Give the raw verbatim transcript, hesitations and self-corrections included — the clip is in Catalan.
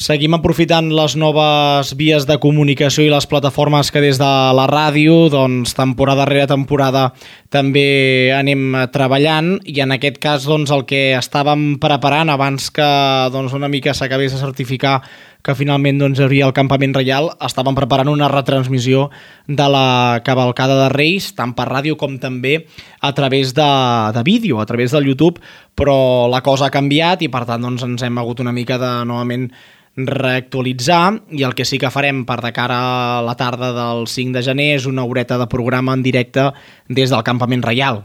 Seguim aprofitant les noves vies de comunicació i les plataformes que des de la ràdio, doncs, temporada rere temporada també anem treballant, i en aquest cas doncs, el que estàvem preparant abans que doncs, una mica s'acabés de certificar que finalment doncs, hi hauria el Campament Reial, estàvem preparant una retransmissió de la cavalcada de Reis, tant per ràdio com també a través de, de vídeo, a través del YouTube, però la cosa ha canviat i per tant doncs, ens hem hagut una mica de novament reactualitzar, i el que sí que farem per de cara a la tarda del cinc de gener és una horeta de programa en directe des del Campament Reial.